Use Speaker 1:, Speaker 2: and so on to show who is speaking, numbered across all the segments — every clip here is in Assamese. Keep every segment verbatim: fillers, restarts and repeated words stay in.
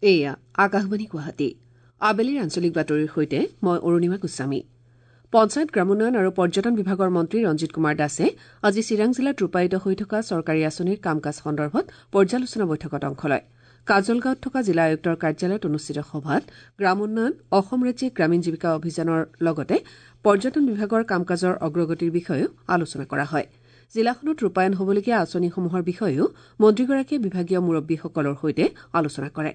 Speaker 1: এয়া আকাশবাণী গুৱাহাটী। আবেলিৰ আঞ্চলিক বাতৰিৰ সৈতে মই অৰুণিমা গোস্বামী। পঞ্চায়ত, গ্ৰামোন্নয়ন আৰু পৰ্যটন বিভাগৰ মন্ত্ৰী ৰঞ্জিত কুমাৰ দাসে আজি চিৰাং জিলাত ৰূপায়িত হৈ থকা চৰকাৰী আঁচনিৰ কাম কাজ সন্দৰ্ভত পৰ্যালোচনা বৈঠকত অংশ লয়। কাজলগাঁৱত থকা জিলা আয়ুক্তৰ কাৰ্যালয়ত অনুষ্ঠিত সভাত গ্ৰামোন্নয়ন, অসম ৰাজ্যিক গ্ৰামীণ জীৱিকা অভিযানৰ লগতে পৰ্যটন বিভাগৰ কাম কাজৰ অগ্ৰগতিৰ বিষয়েও আলোচনা কৰা হয়। জিলাখনত ৰূপায়ণ হ'বলগীয়া আঁচনিসমূহৰ বিষয়েও মন্ত্ৰীগৰাকীয়ে বিভাগীয় মুৰব্বীসকলৰ সৈতে আলোচনা কৰে।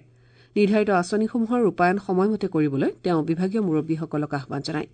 Speaker 1: নিৰ্ধাৰিত আঁচনিসমূহৰ ৰূপায়ণ সময়মতে কৰিবলৈ তেওঁ বিভাগীয় মুৰব্বীসকলক আহ্বান জনায়।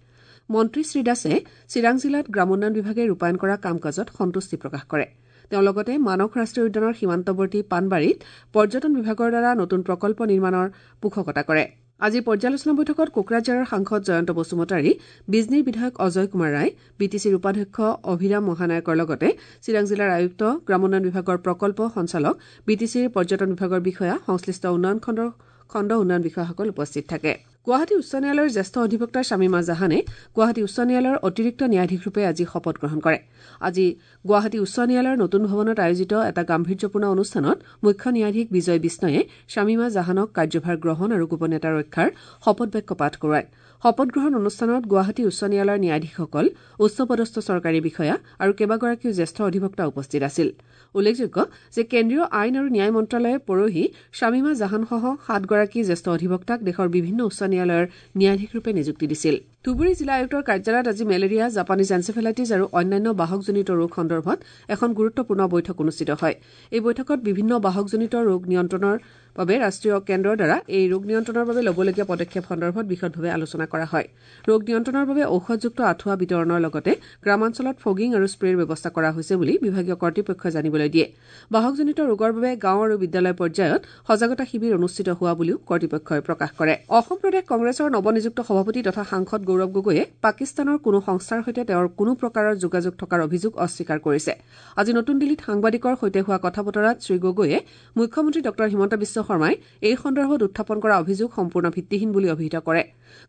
Speaker 1: মন্ত্ৰী শ্ৰীদাসে চিৰাং জিলাত গ্ৰামোন্নয়ন বিভাগে ৰূপায়ণ কৰা কাম কাজত সন্তুষ্টি প্ৰকাশ কৰে। তেওঁ লগতে মানস ৰাষ্ট্ৰীয় উদ্যানৰ সীমান্তৱৰ্তী পাণবাৰীত পৰ্যটন বিভাগৰ দ্বাৰা নতুন প্ৰকল্প নিৰ্মাণৰ পোষকতা কৰে। আজিৰ পৰ্যালোচনা বৈঠকত কোকৰাঝাৰৰ সাংসদ জয়ন্ত বসুমতাৰী, বিজনীৰ বিধায়ক অজয় কুমাৰ ৰায়, বি টি চিৰ উপাধ্যক্ষ অভিৰাম মহানায়কৰ লগতে চিৰাং জিলাৰ আয়ুক্ত, গ্ৰামোন্নয়ন বিভাগৰ প্ৰকল্প সঞ্চালক, বি টি চিৰ পৰ্যটন বিভাগৰ বিষয়া, সংশ্লিষ্ট উন্নয়ন খণ্ডৰ খণ্ড উন্নয়ন বিষয়াসকল উপস্থিত থাকে। গুৱাহাটী উচ্চ ন্যায়ালয়ৰ জ্যেষ্ঠ অধিবক্তা শামীমা জাহানে গুৱাহাটী উচ্চ ন্যায়ালয়ৰ অতিৰিক্ত ন্যায়াধীশৰূপে আজি শপত গ্ৰহণ কৰে। আজি গুৱাহাটী উচ্চ ন্যায়ালয়ৰ নতুন ভৱনত আয়োজিত এটা গাম্ভীৰ্যপূৰ্ণ অনুষ্ঠানত মুখ্য ন্যায়াধীশ বিজয় বিষ্ণয়ে শামীমা জাহানক কাৰ্যভাৰ গ্ৰহণ আৰু গোপনীয়তা ৰক্ষাৰ শপত বাক্য পাঠ কৰোৱায়। শপত গ্ৰহণ অনুষ্ঠানত গুৱাহাটী উচ্চ ন্যায়ালয়ৰ ন্যায়াধীশসকল, উচ্চপদস্থ চৰকাৰী বিষয়া আৰু কেইবাগৰাকীও জ্যেষ্ঠ অধিবক্তা উপস্থিত আছিল। উল্লেখযোগ্য যে কেন্দ্ৰীয় আইন আৰু ন্যায় মন্ত্ৰালয়ে পৰহি শামীমা জাহানসহ সাতগৰাকী জ্যেষ্ঠ অধিবক্তাক দেশৰ বিভিন্ন উচ্চ ন্যায়ালয়ৰ ন্যায়াধীশৰূপে নিযুক্তি দিছিল। ধুবুৰী জিলা আয়ুক্তৰ কাৰ্যালয়ত আজি মেলেৰিয়া, জাপানীজ এনচেফেলাইটিছ আৰু অন্যান্য বাহকজনিত ৰোগ সন্দৰ্ভত এখন গুৰুত্বপূৰ্ণ বৈঠক অনুষ্ঠিত হয়। এই বৈঠকত বিভিন্ন বাহকজনিত ৰোগ নিয়ন্ত্ৰণৰ বাবে ৰাষ্ট্ৰীয় কেন্দ্ৰৰ দ্বাৰা এই ৰোগ নিয়ন্ত্ৰণৰ বাবে ল'বলগীয়া পদক্ষেপ সন্দৰ্ভত বিশদভাৱে আলোচনা কৰা হয়। ৰোগ নিয়ন্ত্ৰণৰ বাবে ঔষধযুক্ত আঁঠুৱা বিতৰণৰ লগতে গ্ৰামাঞ্চলত ফগিং আৰু স্প্ৰেৰ ব্যৱস্থা কৰা হৈছে বুলি বিভাগীয় কৰ্তৃপক্ষই জানিবলৈ দিয়ে। বাহকজনিত ৰোগৰ বাবে গাঁও আৰু বিদ্যালয় পৰ্যায়ত সজাগতা শিবিৰ অনুষ্ঠিত হোৱা বুলিও কৰ্তৃপক্ষই প্ৰকাশ কৰে। অসম প্ৰদেশ কংগ্ৰেছৰ নৱনিযুক্ত সভাপতি তথা সাংসদ গৌৰৱ গগৈয়ে পাকিস্তানৰ কোনো সংস্থাৰ সৈতে তেওঁৰ কোনো প্ৰকাৰৰ যোগাযোগ থকাৰ অভিযোগ অস্বীকাৰ কৰিছে। আজি নতুন দিল্লীত সাংবাদিকৰ সৈতে হোৱা কথা বতৰাত শ্ৰীগগৈয়ে মুখ্যমন্ত্ৰী ডঃ হিমন্ত বিশ্ব শৰ্মাই এই সন্দৰ্ভত উত্থাপন কৰা অভিযোগ সম্পূৰ্ণ ভিত্তিহীন বুলি অভিহিত কৰে।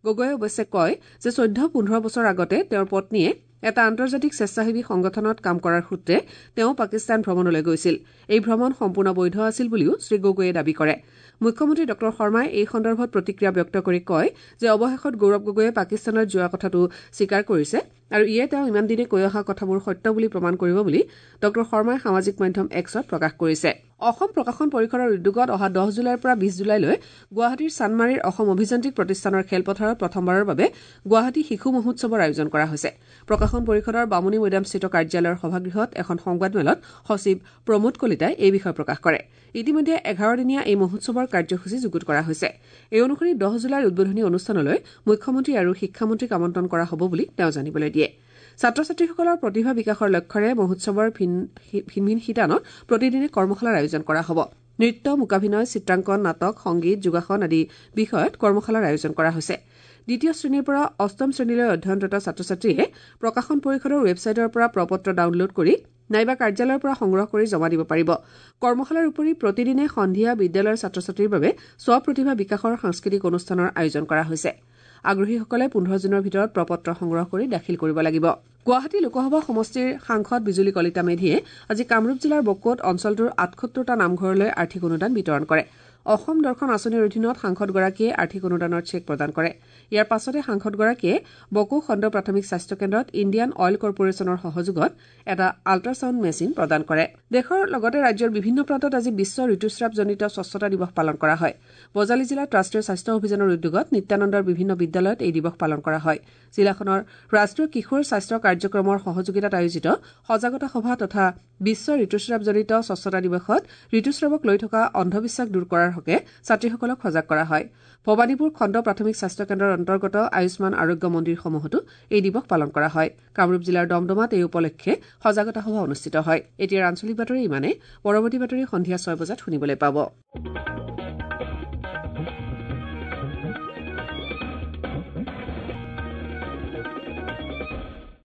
Speaker 1: গগৈয়ে অৱশ্যে কয় যে চৈধ্য পোন্ধৰ বছৰ আগতে তেওঁৰ পত্নীয়ে এটা আন্তৰ্জাতিক স্বেচ্ছাসেৱী সংগঠনত কাম কৰাৰ সূত্ৰে তেওঁ পাকিস্তান ভ্ৰমণলৈ গৈছিল। এই ভ্ৰমণ সম্পূৰ্ণ বৈধ আছিল বুলিও শ্ৰীগগৈয়ে দাবী কৰে। মুখ্যমন্ত্ৰী ডঃ শৰ্মাই এই সন্দৰ্ভত প্ৰতিক্ৰিয়া ব্যক্ত কৰি কয় যে অৱশেষত গৌৰৱ গগৈয়ে পাকিস্তানত যোৱা কথাটো স্বীকাৰ কৰিছে আৰু ইয়ে তেওঁ ইমান দিনে কৈ অহা কথাবোৰ সত্য বুলি প্ৰমাণ কৰিব বুলি ডঃ শৰ্মাই সামাজিক মাধ্যম এক্সত প্ৰকাশ কৰিছে। অসম প্ৰকাশন পৰিষদৰ উদ্যোগত অহা দহ জুলাইৰ পৰা বিশ জুলাইলৈ গুৱাহাটীৰ চানমাৰীৰ অসম অভিযান্ত্ৰিক প্ৰতিষ্ঠানৰ খেলপথাৰত প্ৰথমবাৰৰ বাবে গুৱাহাটী শিশু মহোৎসৱৰ আয়োজন কৰা হৈছে। প্ৰকাশন পৰিষদৰ বামুণী মৈদামস্থিত কাৰ্যালয়ৰ সভাগৃহত এখন সংবাদমেলত সচিব প্ৰমোদ কলিতাই এই বিষয়ে প্ৰকাশ কৰে। ইতিমধ্যে এঘাৰদিনীয়া এই মহোৎসৱৰ কাৰ্যসূচী যুগুত কৰা হৈছে। এই অনুসৰি দহ জুলাইৰ উদ্বোধনী অনুষ্ঠানলৈ মুখ্যমন্ত্ৰী আৰু শিক্ষামন্ত্ৰীক আমন্ত্ৰণ কৰা হ'ব বুলি তেওঁ জানিবলৈ দিয়ে। ছাত্ৰ ছাত্ৰীসকলৰ প্ৰতিভা বিকাশৰ লক্ষ্যৰে মহোৎসৱৰ ভিন ভিন শিতানত প্ৰতিদিনে কৰ্মশালাৰ আয়োজন কৰা হ'ব। নৃত্য, মূকাভিনয়, চিত্ৰাংকন, নাটক, সংগীত, যোগাসন আদি বিষয়ত কৰ্মশালাৰ আয়োজন কৰা হৈছে। দ্বিতীয় শ্ৰেণীৰ পৰা অষ্টম শ্ৰেণীলৈ অধ্যয়নৰত ছাত্ৰ ছাত্ৰীয়ে প্ৰকাশন পৰিষদৰ ৱেবছাইটৰ পৰা প্ৰপত্ৰ ডাউনলোড কৰি নাইবা কাৰ্যালয়ৰ পৰা সংগ্ৰহ কৰি জমা দিব পাৰিব। কৰ্মশালাৰ উপৰি প্ৰতিদিনে সন্ধিয়া বিদ্যালয়ৰ ছাত্ৰ ছাত্ৰীৰ বাবে স্বপ্ৰতিভা বিকাশৰ সাংস্কৃতিক অনুষ্ঠানৰ আয়োজন কৰা হৈছে। আগ্ৰহীসকলে পোন্ধৰ জুনৰ ভিতৰত প্ৰপত্ৰ সংগ্ৰহ কৰি দাখিল কৰিব লাগিব। গুৱাহাটী লোকসভা সমষ্টিৰ সাংসদ বিজুলী কলিতা মেধিয়ে আজি কামৰূপ জিলাৰ বকোত অঞ্চলটোৰ আঠসত্তৰটা নামঘৰলৈ আৰ্থিক অনুদান বিতৰণ কৰে। অসম দৰ্শন আঁচনিৰ অধীনত সাংসদগৰাকীয়ে আৰ্থিক অনুদানৰ চেক প্ৰদান কৰে। ইয়াৰ পাছতে সাংসদগৰাকীয়ে বকো খণ্ড প্ৰাথমিক স্বাস্থ্য কেন্দ্ৰত ইণ্ডিয়ান অইল কৰ্পৰেশ্যনৰ সহযোগত এটা আল্ট্ৰাছাউণ্ড মেচিন প্ৰদান কৰে। দেশৰ লগতে ৰাজ্যৰ বিভিন্ন প্ৰান্তত আজি বিশ্ব ঋতুস্ৰাৱজনিত স্বচ্ছতা দিৱস পালন কৰা হয়। বজালী জিলাত ৰাষ্ট্ৰীয় স্বাস্থ্য অভিযানৰ উদ্যোগত নিত্যানন্দৰ বিভিন্ন বিদ্যালয়ত এই দিৱস পালন কৰা হয়। জিলাখনৰ ৰাষ্ট্ৰীয় কিশোৰ স্বাস্থ্য কাৰ্যক্ৰমৰ সহযোগিতাত আয়োজিত সজাগতা সভা তথা বিশ্ব ঋতুস্ৰাৱজনিত স্বচ্ছতা দিৱসত ঋতুস্ৰাৱক লৈ থকা অন্ধবিশ্বাস দূৰ কৰাৰ হকে ছাত্ৰীসকলক সজাগ কৰা হয়। ভৱানীপুৰ খণ্ড প্ৰাথমিক স্বাস্থ্য কেন্দ্ৰৰ অন্তৰ্গত আয়ুষ্মান আৰোগ্য মন্দিৰসমূহতো এই দিৱস পালন কৰা হয়। কামৰূপ জিলাৰ দমদমাত এই উপলক্ষে সজাগতা সভা অনুষ্ঠিত হয়। এতিয়াৰ আঞ্চলিক বাতৰি ইমানেই। পৰৱৰ্তী বাতৰি সন্ধিয়া ছয় বজাত শুনিবলৈ পাব।